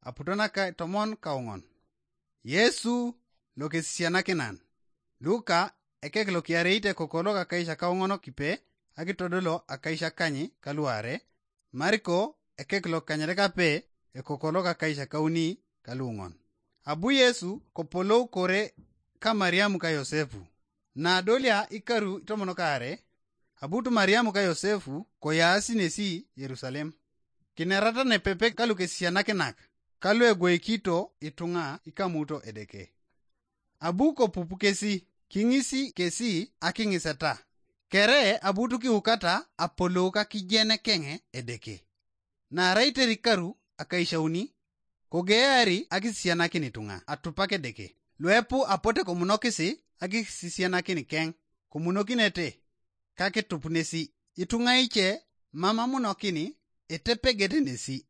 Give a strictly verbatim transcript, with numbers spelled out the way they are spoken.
aputo naka tomon kauŋon. Yesu lokesisianakinan. Luka ekek lokiareit ekoko lokakaisakauŋon kipe akitodolo akaisakany kaluare. Mariko ekek lokanyarekape ekoko lokakaisakauni kaluŋon. Abu Yesu kopolou kore ka Mariamu ka Yosefu. Nadolia ikaru itomon kaare, abut Mariamu ka Yosefu koyaasi nesi Yerusalem. Kinerata nepepe kalukesisianakinak kalu egweikito ituŋa ikamuto Edeke. Abu kopupu kesi, kiŋisi kesi akiŋiseta. Kere abut kiukata apolou kakijenekeŋ Edeke. Naarai terikaru akaishauni, kogeari akisisianakin ituŋa atupak Edeke. Luepu apote komunokisi akisisianakin keŋ, komunokinete kakitup nesi. Ituŋa ice mam amunokin etepegete nesi.